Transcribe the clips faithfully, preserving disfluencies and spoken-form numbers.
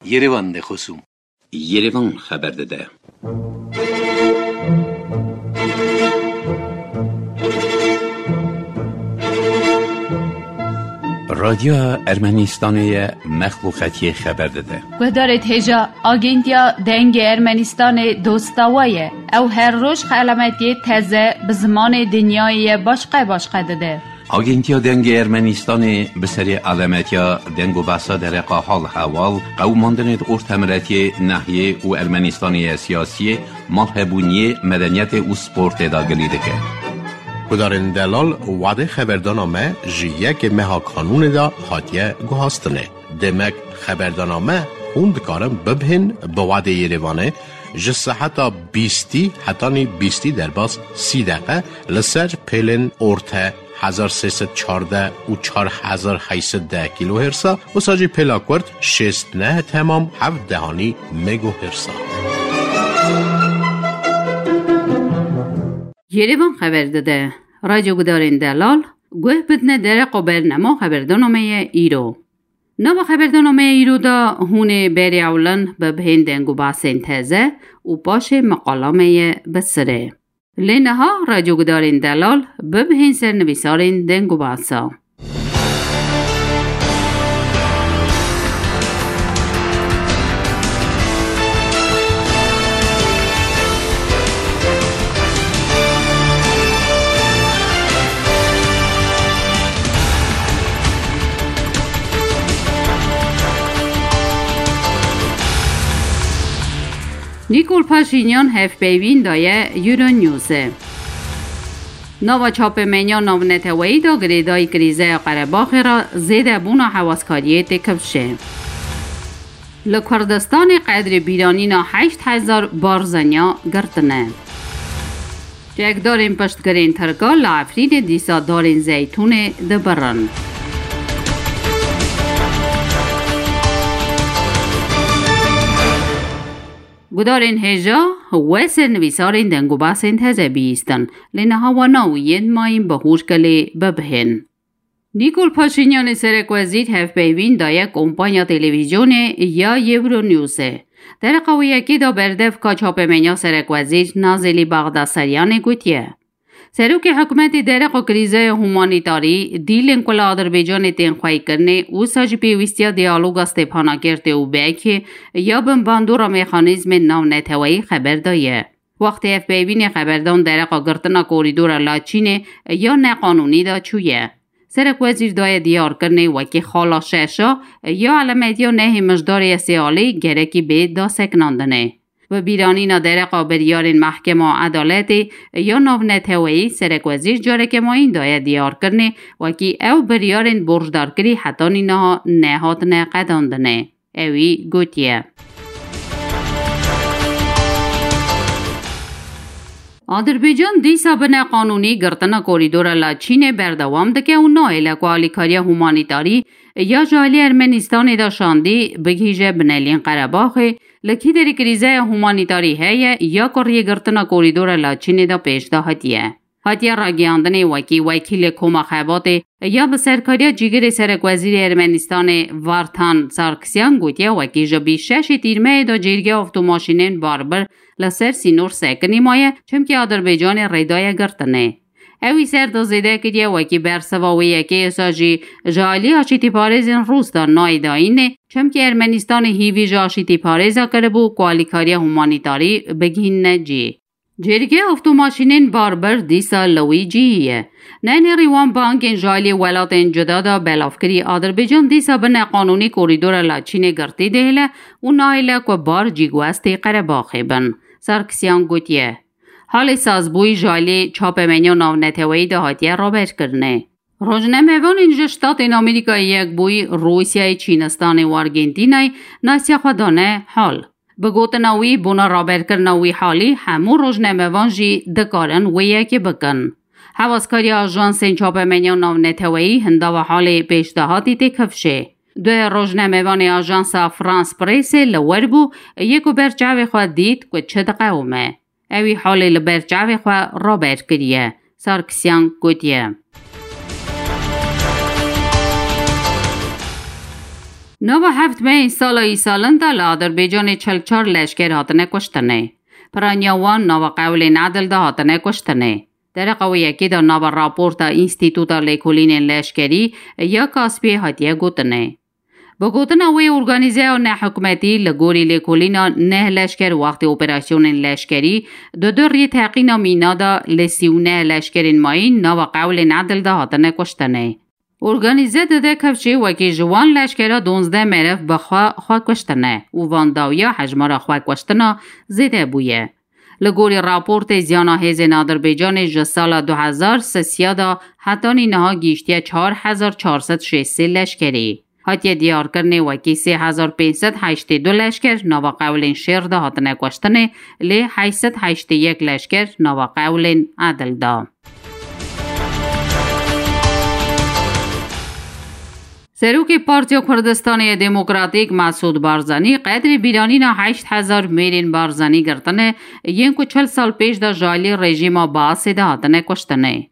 Yerevan de xosûm. Yerevan xeber dide. Radyoya Ermenistanê ye, mexluqetiyê xeber dide. Guhdarê hêja, Agentiya Dengê Ermenistanê dosta we ye. Ew her roj xelametiyê teze bi zimanê dinyayê ye başqe başqe dide. Agentiya Dengê Ermenistanê bi serê alemetiya deng û behsa dereqa hal hewal, qewimandinê di ortemiretiyê, nehiyê û Ermenistanê ye siyasiyê, malhebûniyê, medeniyetê û sportê de gilî dike. Gudarên delal, wadê xeberdana me ji yekê meha kanûnê de hatiye guhastinê. Demek xeberdana me hûn dikarin bibihên bi wadê Yerevanê ji seheta bîstî hetanî bîstî derbas sî deqe li ser pêlên orte hezar sê sed çardeh û çar hezar heyt sed deh kîlohêrsa, wisa jî pêla kurt şêst neh temam heft dehanî megohêrsa. Yerevan xeber dide. Radyo gudarên delal, guh bidine dereqa bernama xeberdana me ye îro. Nava xeberdana me ye îro de hûn ê berê ewlin bibihên deng û behsên teze û paşê meqala me ye bi sirê. Lê niha radyogudarên delal bibihên sernivîsarên deng û behsa. Nîkol Paşînyan hevpeyvîn daye Euronewsê. Nava çapemeniya navneteweyî de girêdayî krîzeya Qerebaxê re zêdebûna hewaskariyê tê kifşê. Li Kurdistanê qedrê bîranîna heşt hezar barzaniya girtine. Çekdarên piştgirên Tirka li Efrînê dîsa darên zeytûnê dibirin. Gudarên hêja we sernivîsarên deng û behsên teze bihîstin, lê niha wana û yên mayîn bi hûr kelê bibihên. Nîkol Paşînyanê serekwezîr hevpeyvîn daye kompanya televîzyonê ya Euronewsê. Dereqa wê yekê de berdevka çapemeniya serekwezîr Nazelî Baxdasaryanê gotiye, Serokê hikûmetê dereqa krîzeya humanîtarî, dîlên ku li Adirbaycanê tên xweykirinê, wisa jî pêwîstiya diyaloga Stêphana Kertê û Bekê ya bin bandora mexanîzmên navneteweyî xeber daye. Wextê ev peyvînê xeberdan dereqa girtina korîdora Laçînê ya neqanûnî de çûye. Serekwezîr daye diyarkirinê wekî xala şeşa ya elemetiya nehê mijdarê ya sê alî gerekî bê daseknandinê. Bi bîranîna dereqa biryarên Mehkema Edaletê ya navneteweyî, serekwezîr careke mayîn daye diyarkirinê wekî ew biryarên borcdarkirî hetanî niha nehatine qedandinê. Ewî gotiye. Adirbaycan dîsa bi neqanûnî girtina korîdora Laçînê berdewam dike û nahêle ku alîkariya humanîtarî ya ji alî Ermenistanê de şandî bigihîje binelîn Qerebaxê, li kî derî krîzeya humanîtarî heye ya ku rêgirtina korîdora Laçînê de pêş de hatiye. Hatiye ragihandinê wekî wekîlê Koma Xebatê ya bi serkariya cîgirê serekwezîrê Ermenistanê Vartan Sarkisyan gotiye, wekî ji bîst şeşê Tîrmeyê de cêrgê avtomaşînên barbir li ser sînor sekinî maye, çimkî Adirbaycanê rê daye girtinê. Ewî ser de zêde kiriye, wekî bersiva wê yekê êsa jî ji alî aşîtîparêzên Rûs de nayê dayînê, çimkî Ermenistanê hîvî ji aşîtîparêza kiribû ku alîkariya humanîtarî bigihînine cî. Cêrgê avtomaşînên barbir dîsa li wî cihî ye. Nenêrî wan bangên ji alî welatên cuda de belavkirî, Adirbaycan dîsa bi neqanûnî korîdora Laçînê girtî dihêle û nahêle ku bar cîguestê Qerebaxê bin. Sarkisyan gotiye, Halê sazbûyî ji alî çapemeniya navneteweyî de hatiye raberkirinê. Rojnamevanên ji Ştatên Amerîkayê Yekbûyî, Rûsyayê, Çînistanê û Argentînayê nasiya xwe dane hal. Bi gotina wî, bona raberkirina wî halî hemû rojnamevan jî dikarin wê yekê bikin. Hewaskariya ajansên çapemeniya navneteweyî hindava halê pêşdahatî tê kifşê. Duh rojnamevanê ajansa France Pressê li wir bû, yê ku ber çavê xwe dît ku çi diqewime. Ewî halê li ber çavê xwe raber kiriye, Sarkisyan gotiye. Nava heft mehên sala îsalin de li Adirbaycanê çil çar leşker hatine kuştinê. Piraniya wan nava qewlên edil de hatine kuştinê. Dereqa wê yekê de nava raporta Înstîtuta Lêkolînên Leşkerî ya Kaspiyê hatiye gotinê. Bi gotina wê organîzeya nehikûmetî, li gorî lêkolîna neh leşker wextê operasyonên leşkerî di du rêteqîna mîna de li sî û neh leşkerên mayîn nava qewlên edil de hatine kuştinê. Organîze dide kevçê wekî ji wan leşkera duwazdeh meriv bi xwe xwe kuştine û van dawiya hejmara xwe kuştina zêde bûye. Li gorî raportê ziyana hêzên Adirbaycanê ji sala du hezar sisiya de hetanî niha gihîştiye çar hezar çar sed şêst sê leşkerî. Hatiye diyarkirinê wekî sê hezar pênc sed heştê du leşker nava qewlên şêr de hatine kuştinê, lê heşt sed heştê yek leşker nava qewlên edil de. Serokê Partiya Kurdistanê ya Demokratîk Mesûd Barzanî qedrê bîranîna heşt hezar mêrên Barzanî girtine, yên ku çil sal pêş de ji alî rejîma Baasê de hatine kuştinê.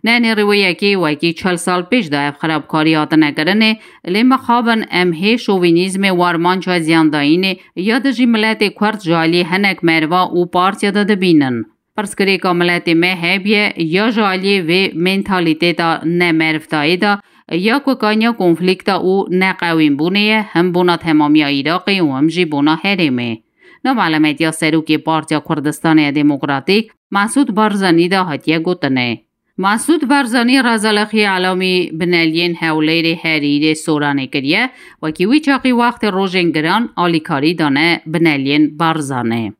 Ne nêrî wê yekê wekî çil sal pêş de ev xirabkarî hatine kirinê, lê mixabin em hê şovînîzmê, warmanca ziyandayînê ya dijî miletê Kurd ji alî hinek meriva û partiya de dibînin. Pirsgirêka miletê me hebiye ya ji aliyê vê mentalîteta ne merivdayê de, ya ku kaniya konflîkta û neqewînbûnê ye, him bona temamiya Iraqê û him jî bona herêmê. Nava elemetiya serokê Partiya Kurdistanê ya Demokratîk Mesûd Barzanî de hatiye gotinê. Mesûd Barzanî reza li xiyê elamî bineliyên Hewlêrê, Herîrê, Soranê kiriye, wekî wî çaxî wextê rojên giran alîkarî dane bineliyên Barzanê.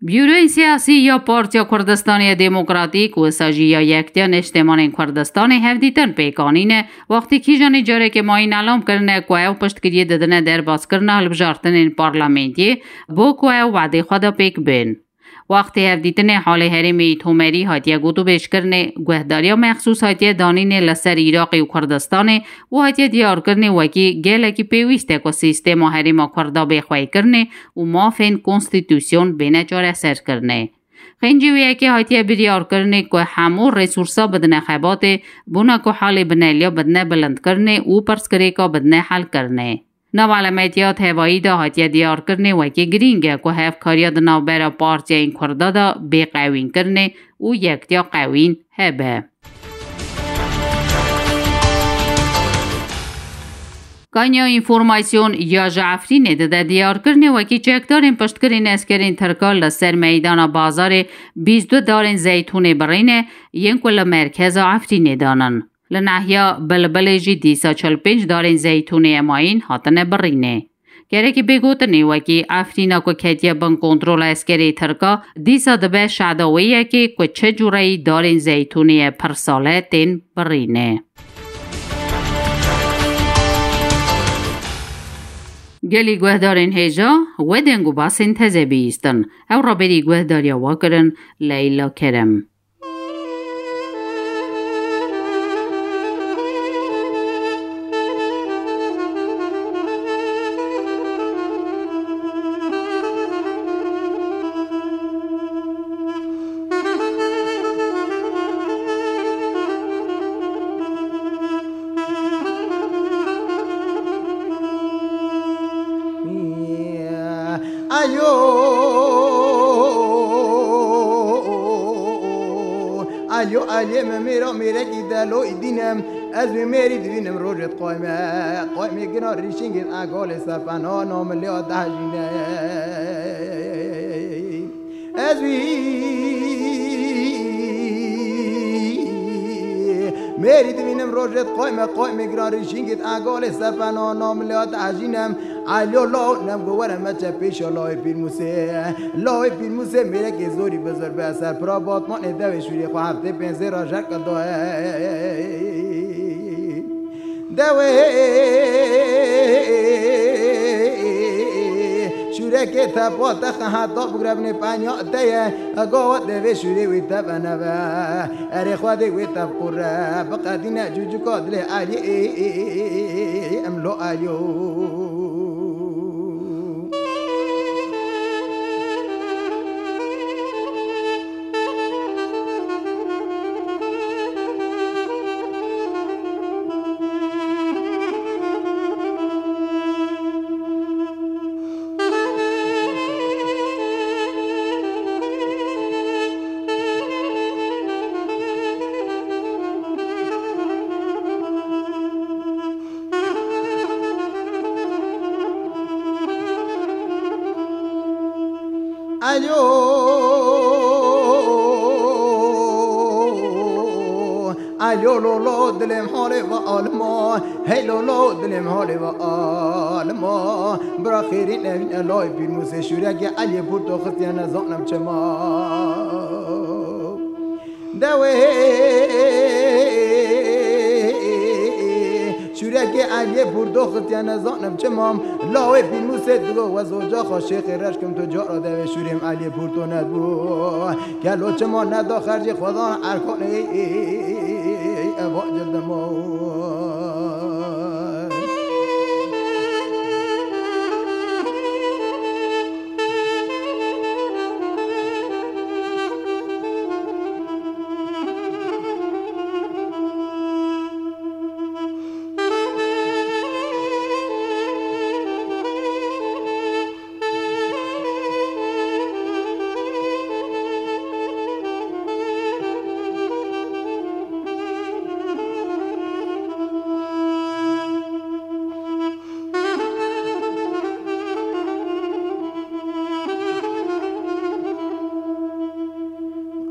Buroyên siyasî ya Partiya Kurdistanê ya Demokratîk, wisa jî ya Yektiya Niştemanên Kurdistanê hevdîtin pêk anîne, wextî kîjanê carekê mayîn elam kirine ku ew piştgiriyê didine derbaskirina hilbijartinên parlamentiyê, bo ku ew wedê xwe de pêk bên. Wextê hevdîtinê halê herêmê Îtomerî hatiye gotûbêjkirinê, guhdariya mexsûs hatiye danînê li ser Iraqê û Kurdistanê û hatiye diyarkirinê wekî gelekî pêwîst e ku sîstema herêma Kurda bê xweykirinê û mafên konstîtûsyon bêne çareserkirinê. Xêncî wê yekê hatiye biryarkirinê ku hemû resûrsa bidine xebatê, bona ku halê bineliya bidine bilindkirinê û pirsgirêka bidine helkirinê. Nava elemetiya tevayî de hatiye diyarkirinê wekî girîng e ku hevkariya di navbera partiyên Kurda de bê qewînkirinê û yektiya qewîn hebe. Kanya Înformasyon ya ji Efrînê dide diyarkirinê wekî çekdarên piştgirên eskerên Tirka li ser meydana bazarê bîst du darên zeytûnê birîne, yên ku li merkeza Efrînê danin. Li nahiya Bilbilê jî dîsa çil pênc darên zeytûnê ye mayîn hatine birînê. Gerekî bê gotinê wekî Efrîna ku ketiye bin kontrola eskerê Tirka, dîsa dibe şada wê yekê ku çi cûreyî darên zeytûnê ye pirsale tên birînê. Gelî guhdarên hêja, we deng û basên teze bihîstin. Ew raberî guhdariya we kirin, Leyla Kerem. Alo, alo, aliyê min mêra mêrekî deloyî dînim. Ez wê mêrî dibînim rojê dixwayme. Xwaymê gina rîşingê egalê sepena namiliya dehjîne. Ez wî mêrî dibînim rojê dixwayme, xwaymê gina rîşingê egalê sepena namiliya dehjînem. Alo, law, nem go were me çe pêşa lawê Pîrmûsê. Lawê Pîrmûsê mêrekê zorî bi zor be ser pira Batmanê dewê şûrê xwe heftê pênc zêra jek doye. Dewê şûrekê te pa te xeheta bigrebnê penya te ye. Gawa devê şûrê wî te veneve. Erê Xwedê wê te biqure. Biqedîne cûcûka dilê Elî. Em lo Elî. Alo, alo, lo, lo, dilê min holê va alima. Hey, lo, lo, dilê min holê va alima. Bira xêrî nevîn elayê pîrmûsê şûrekê Eliyê Pûrto xistiye nezanim çima. Dewê şûrekê Eliyê Pûrto xistiye nezanim çima. Lawê pîrmûsê digo we zoca xwe şêxê reşkim tu cara dewê şûrê min Eliyê Pûrto nebû. Gelo çima neda xercê xwedan erkanê eva cildimo.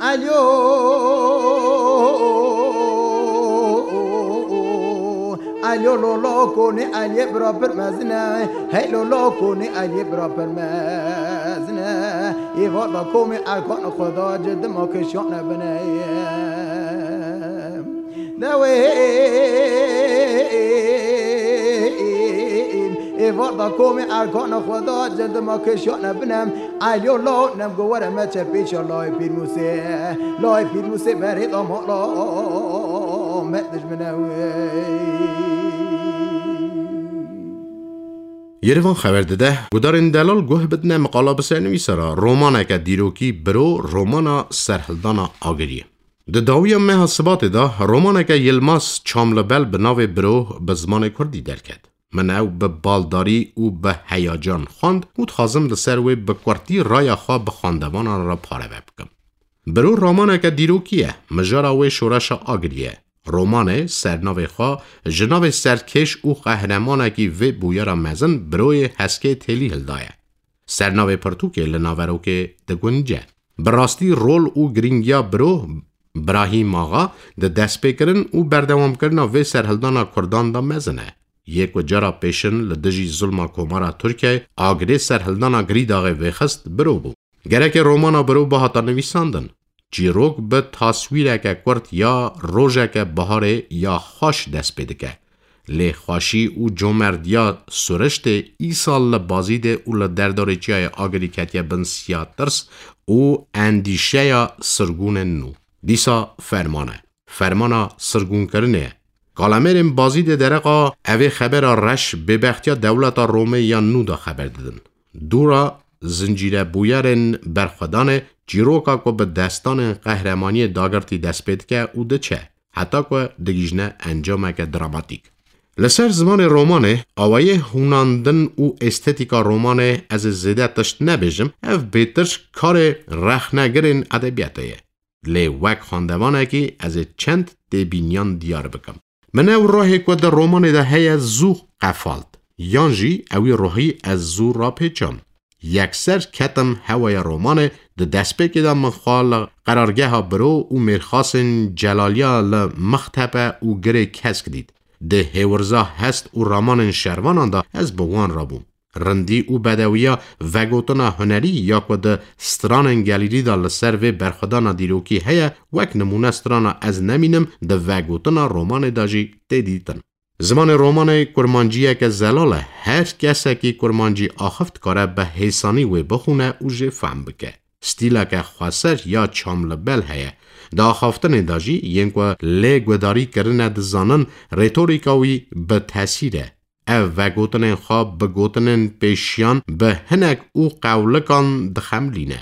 Alo, alo, lo, lo, konê Eliyê bira pir mezin e. Hey, lo, lo, konê Eliyê bira pir mezin e. Êva da komê erkan xwe da cildima kişiyane bine. Dewê êvar da komê erkana xwe da cildima kişiyane binem. Alo, lo, nem go were me çe pêşa layê pîrmûsê. Layê pîrmûsê berê da mala me dijmine wê. Yerivan xeber dide, gudarên delal guh bidine miqala bi sernivîsara romaneke dîrokî Biro, romana Serhildana Agiriyê. Di dawiya meha Sibatê de romaneke Yilmaz Çamlibel bi navê Biro bi zimanê kurdî derket. Min ew bi baldarî û bi heyacan xwend û dixwazim li ser wê bi kurtî raya xwe bi xwendevanan re pareve bikim. Biro romaneke dîrokî ye, mijara wê şoreşa Agirî ye. Romanê sernavê xwe ji navê serkêş û qehremanekî vê bûyera mezin Biroyê Heskê Têlî hildaye. Sernavê pirtûkê li naverokê digunce. Bi rastî rol û girîngiya Biro Birahîm Axa di destpêkirin û berdewamkirina vê serhildana kurdan de mezin e. Yê ku cara pêşin li dijî zulma Komara Tirkiyeyê agirê serhildana Girîdaxê vêxist Biro bû. Gereke romana Biro bihata nivîsandin, çîrok bi taswîreke kurt ya rojeke biharê ya xweş dest pê dike. Lê xweşî û comerdiya Suriştê îsal li Bazîdê û li derdorê çiyayê Agirî ketiye bin siya tirs û endîşeya sirgûnên nû. Dîsa ferman e. Fermana sirgûnkirinê ye. Kalemêrên Bazîdê dereqa evê xebera reş bêbextiya dewleta Romê ya nû de xeber didin. Dûra zincîre bûyerên berxwedanê çîroka ku bi destanên qehremaniyê dagirtî dest pê dike û diçe, heta ku digihîjne encameke dramatîk. Li ser zimanê romanê, awayê hûnandin û estetîka romanê ez ê zêde tişt nebêjim, ev bêtir karê rexnegirên edebiyatê ye. Lê wek xwendevanekî ez ê çend têbîniyan diyar bikim. Min ew rohê ku di romanê de heye zû qefalt, yan jî ewî rohî ez zû rapêçam. Yekser ketim hewaya romanê, di destpêkê de min xwe li qerargeha Biro û mêrxasên Celaliya li Mixtepe û Girê Kesk dît. Di hêwirza hest û ramanên şervanan de ez bi wan re bûm. Rindî û bedewiya vegotina hunerî ya ku di stranên gelîrî de li ser vê berxwedana dîrokî heye, wek nimûne strana Ez Nemînim di vegotina romanê de jî tê dîtin. Zimanê romanê kurmanciyeke zelal e. Her kesekî kurmancî axiv dikare bi hêsanî wê bixwîne û jê fehm bike. Stîleke xweser ya Çamlibel heye. Di axaftinê de jî yên ku lê guhdarî kirine dizanin, retorîka wî bi tesîr e. Ev vegotinên xwe bi gotinên pêşiyan, bi hinek û qewlikan dixemilîne.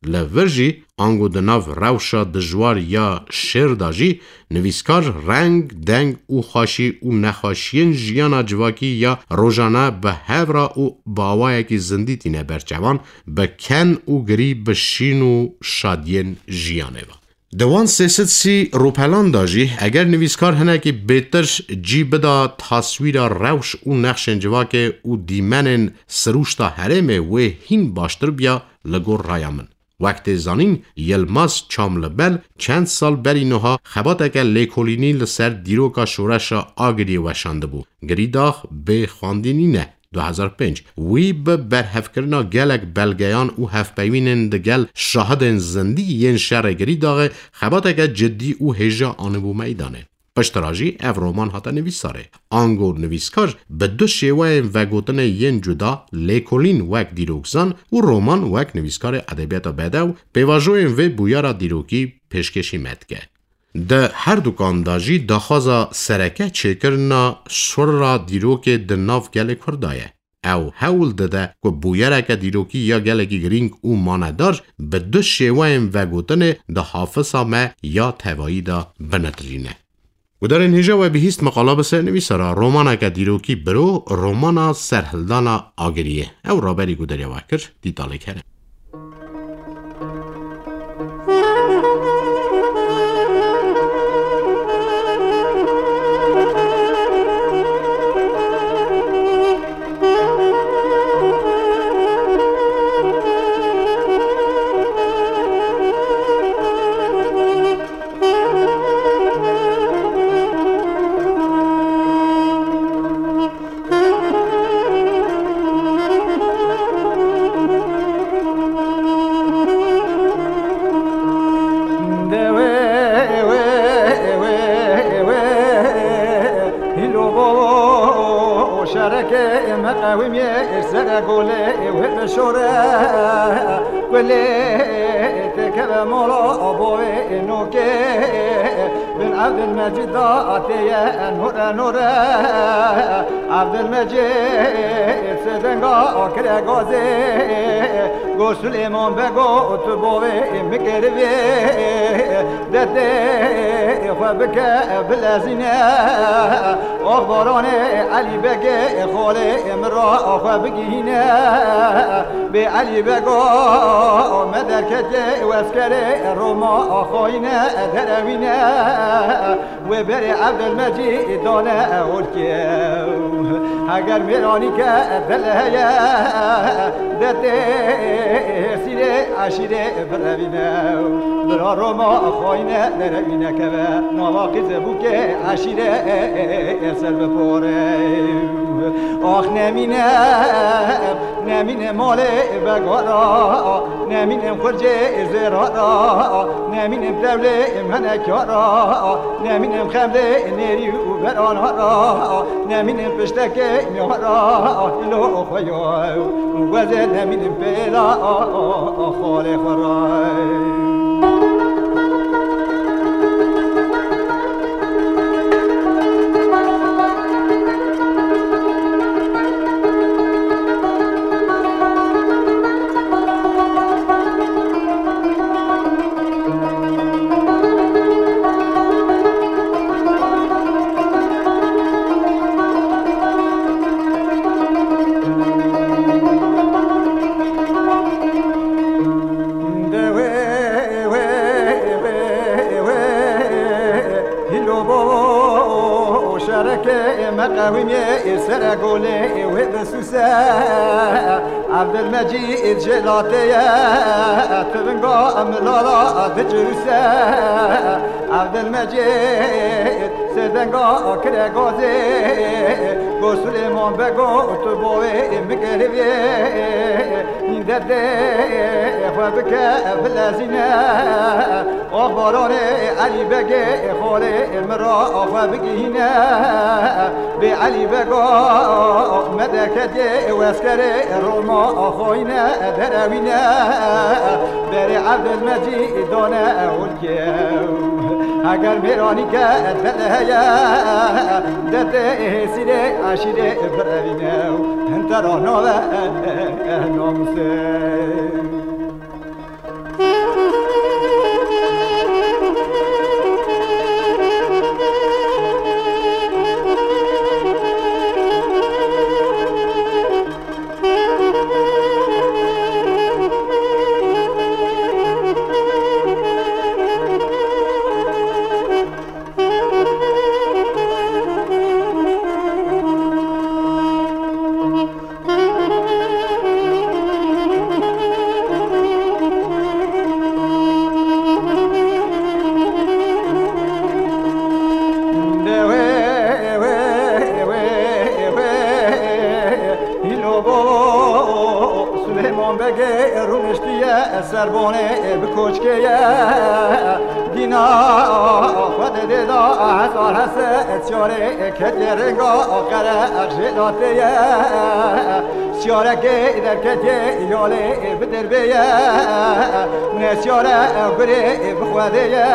Li vir jî, ango di nav rewşa dijwar ya şêr de jî, nivîskar reng, deng û xweşî û nexweşiyên jiyana civakî ya rojane bi hev re û bi awayekî zindî tîne ber çavan, bi ken û girî bi şîn û şadiyên jiyanê ve. Di wan sê sed sî rûpelan de jî, eger nivîskar hinekî bêtir cî bida taswîra rewş û nexşên civakê û dîmenên sirûşta herêmê, wê hîn baştir biya li gor raya min. Wek tê zanîn, Yilmaz Çamlibel çend sal berî niha xebateke lêkolînî li ser dîroka şoreşa Agiriyê weşandibû. Girîdax bê xwendî nîne. Du hezar pênc. Wî bi berhevkirina gelek belgeyan û hevpeyvînên digel şahidên zindî yên şerê Girîdaxê xebateke cidî û hêja anîbû meydanê. Piştre jî ev roman hate nivîsarê. Ango nivîskar bi du şêweyên vegotinê yên cuda, lêkolîn wek dîrokzan û roman wek nivîskarê edebiyata bedew, pêvajoyên vê bûyera dîrokî pêşkêşî me dike. Di herdukan de jî daxwaza sereke çêkirina şora dîrokê di nav gelê Kurda ye. Ew hewl dide ku bûyereke dîrokî ya gelekî girîng û manedar bi du şêweyên vegotinê di hafisa me ya tevayî de binitirîne. Gudarên hêja we bihîst meqala bi ser nivîsara romaneke dîrokî biro romana Serhildana Agiriyê. Ew raberî gudariya we kir, dîtalê kerem. Hîlo bo şerekê me qewimê sere golê wê bişore. Gulê têkeve mola bovê nokê. Bin Evdilmecîd da têye nore nore. Evdilmecîd sêdenga kire gazê. Go Sulêman Bego tu bovê min kerivê. Derdê xwe bike bilezîne. Ox baranê Elî Begê xolê min ra xwe bigihîne. Bê Elî Bego me derketê weskerê Roma xayîne derewîne. Wê berê Evdilmecîd dane holkê. Heger mêranî ke dil heye, de tê sîrê eşîrê birevîne. Bira Roma xayîne derevîne keve, nava qîzê bûkê eşîrê ser bipore. Ax nemîne, nemîne malê begara, nemîne xurcê zêrara, nemîne tevlê menekara, nemîne xemlê nêrî û beranara, nemîne piştekê miyara, lo xwe yo, wezê nemîne pêla xalê xwe ra. De wê, wê, wê, wê, hîlo bo şerekê me qewimê sere golê wê bisûse. Evdilmecîd jêlatê ye, tivinga milala dicirûse. Evdilmecîd sêdenga kire gazê, go Sulêman Bego tu bovê min kerivê. Derdê xwe bike bilezîne. Ox baranê Elî Begê xolê min ra xwe bigihîne. Bê Elî Bego me derketê weskerê Roma xayîne derewîne. Berê Evdilmecîd dane holkê. Heger mêranî ke dil heye, de tê sîrê eşîrê birevîne. Hintera nave namusê. Bonê bi koçkê ye, dîna xwe didê da hezar hese, çarê ketiye rênga qere jê latê ye. Çarekê derketiye yalê bi derbê ye, ne çare gurê bi xwedê ye.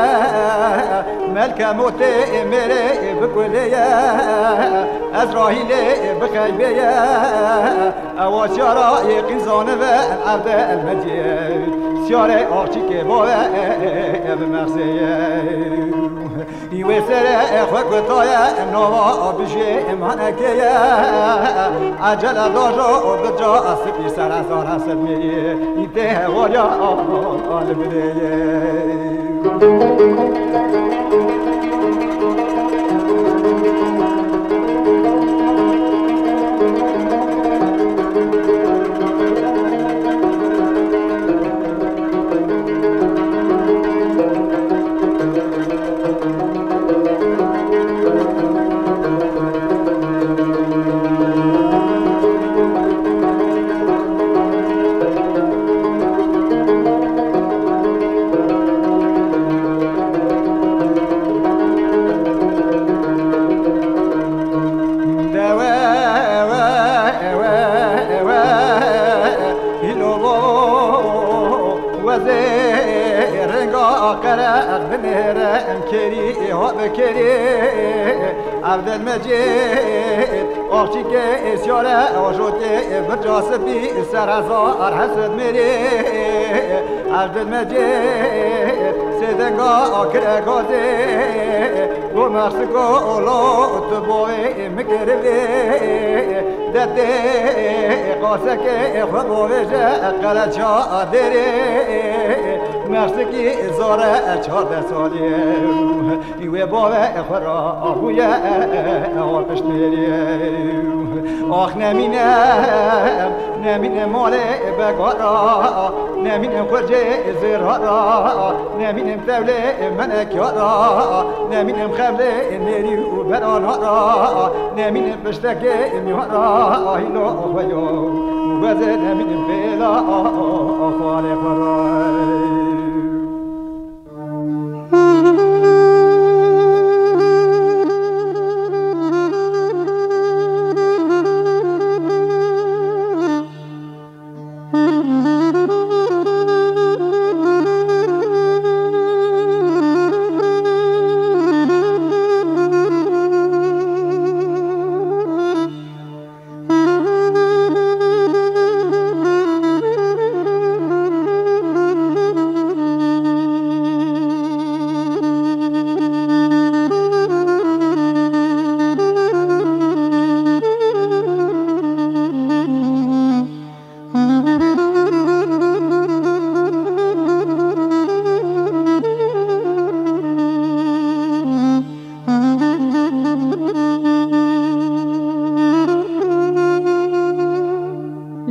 Melke motê mêrê bi kulê ye, Ezrahîlê bi xeybê ye. Ewa çara yê qîzanê ve evde elmecê. Çarê axçîkê bave ev mersê ye. Wê serê xwe kutaye nava bijê manekê ye. Ecele dajo bica sipî ser hezar hesed mêrî. Tê hewariya al bidê ye. Wezê rênga qereq binêre em kêrî ha bi kêrî. Evdel Mecîd axçîkê êsyare ajotê birca sipî ser hezar hesed mêrî. Evdel Mecîd sêdenga kire gazê û mersiko olo tu boyê min kiribê. Detê qasekê xwe bovêje qereça derê. Mersikî zore çardeh salî. Wê bavê xwe ra bûye ewa piştmêrî. Ax nemîne, nemîne malê begara, nemîne xurcê zêrara, nemîne tevlê menekara, nemîne xevlê nêrî û beranara, nemîne piştekê mîhara, hîlo xwe yo, wezê nemîne bêla xalê xwe ra.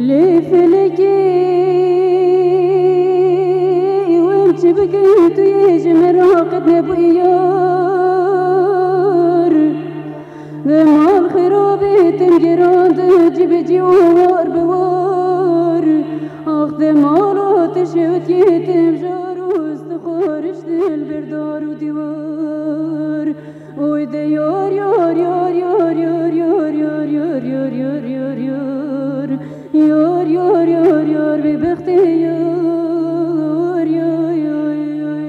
Lê felekê wem çi bikin, tu yê ji min re qet nebûyî yar. Ve mal xirabê tim gerandin cî bi cî û war bi war. Ax te mala te şewitiyê tim jar û stixwariş dil berdar û dîwar. Oy de yar, yar, yar, yar, bêbextê yar, yar, yar, yar, yar.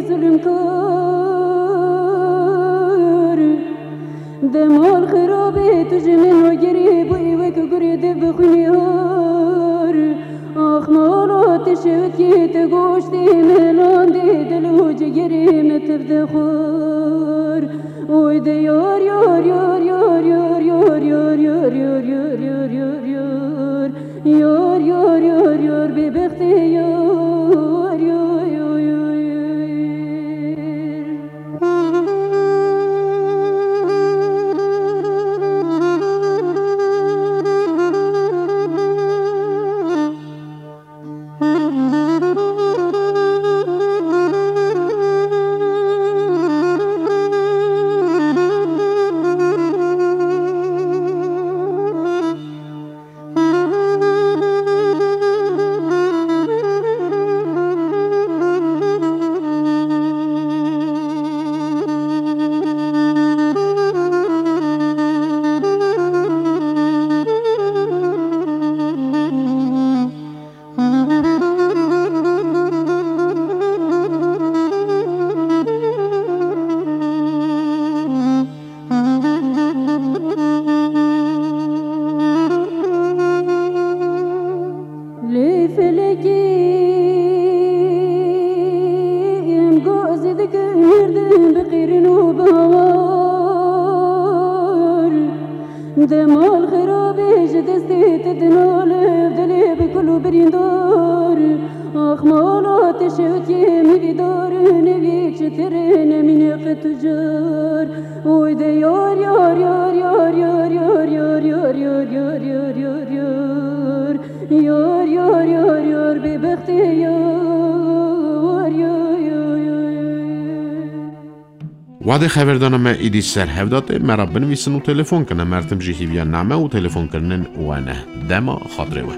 Zulmkar, demal xirabê tu ji min agirî bûyî wek gurê di bi xwînê har. Ax mala te şewitî te goştê min landê dil û cigirê min tev dixwar. Oy de yar, yar, yar, yar, yar, yar, yar, yar, yar, yar, yar, yar, yar, yar. Yar, yar, yar, yar, bêbextê yar, yar, yar, yar, yar. Lê felekê em gazî dikin merdin bi qîrin û bi hawar. Demal xirabê ji destê te dinale, dilê bi kul û birîndar. Ax mala te şewitiyê min vîdar, nevîk ji te re nemîne qet û car. Oy de yar, yar, yar, yar, yar, yar, yar, yar, yar, yar, yar, yar, yar. Yar, yar, yar, yar, bêbextê yar, yar, yar, yar, yar. Wadê xeberdana me îdî ser hev datê, me re binivîsin û telefon kine. Merdim jî hîviya name û telefonkirinên we ne. Dema xatirê we.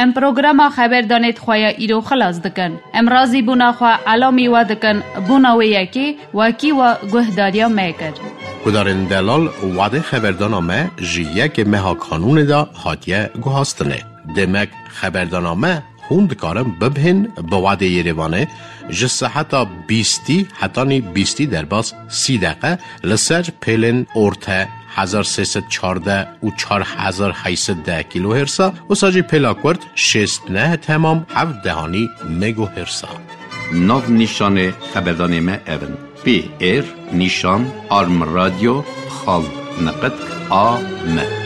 Em programa xeberdanê di xwe ya îro xilas dikin. Em razîbûna xwe elamî we dikin, bûna wê yekê wekî we guhdariya me kir. Guhdarên delal, wadê xeberdana me ji yekê meha Kanûnê de hatiye guhastinê. Demek xeberdana me hûn dikarin bibihên bi wadê Yerêvanê ji seheta bîstî hetanî bîstî derbas sî deqe li ser pêlên orte hezar sê sed çardeh û çar hezar heyt sed deh kilohersa, wisa jî pêla kurt şêst neh temam heft dehanî megohersa. Nav nîşanê xeberdanê me ev in: P R nîşan arm radyo xal neqet A M.